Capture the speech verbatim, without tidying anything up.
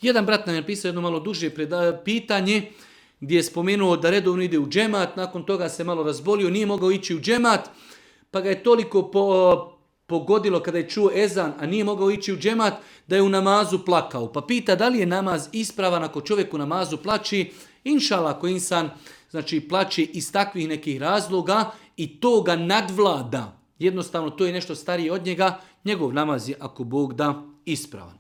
Jedan brat nam je napisao jedno malo duže pitanje gdje je spomenuo da redovno ide u džemat, nakon toga se malo razbolio, nije mogao ići u džemat, pa ga je toliko po, pogodilo kada je čuo ezan, a nije mogao ići u džemat, da je u namazu plakao. Pa pita da li je namaz ispravan ako čovjek u namazu plači. Inšala, ako insan znači, plaće iz takvih nekih razloga i to ga nadvlada, jednostavno to je nešto starije od njega, njegov namaz je, ako Bog da, ispravan.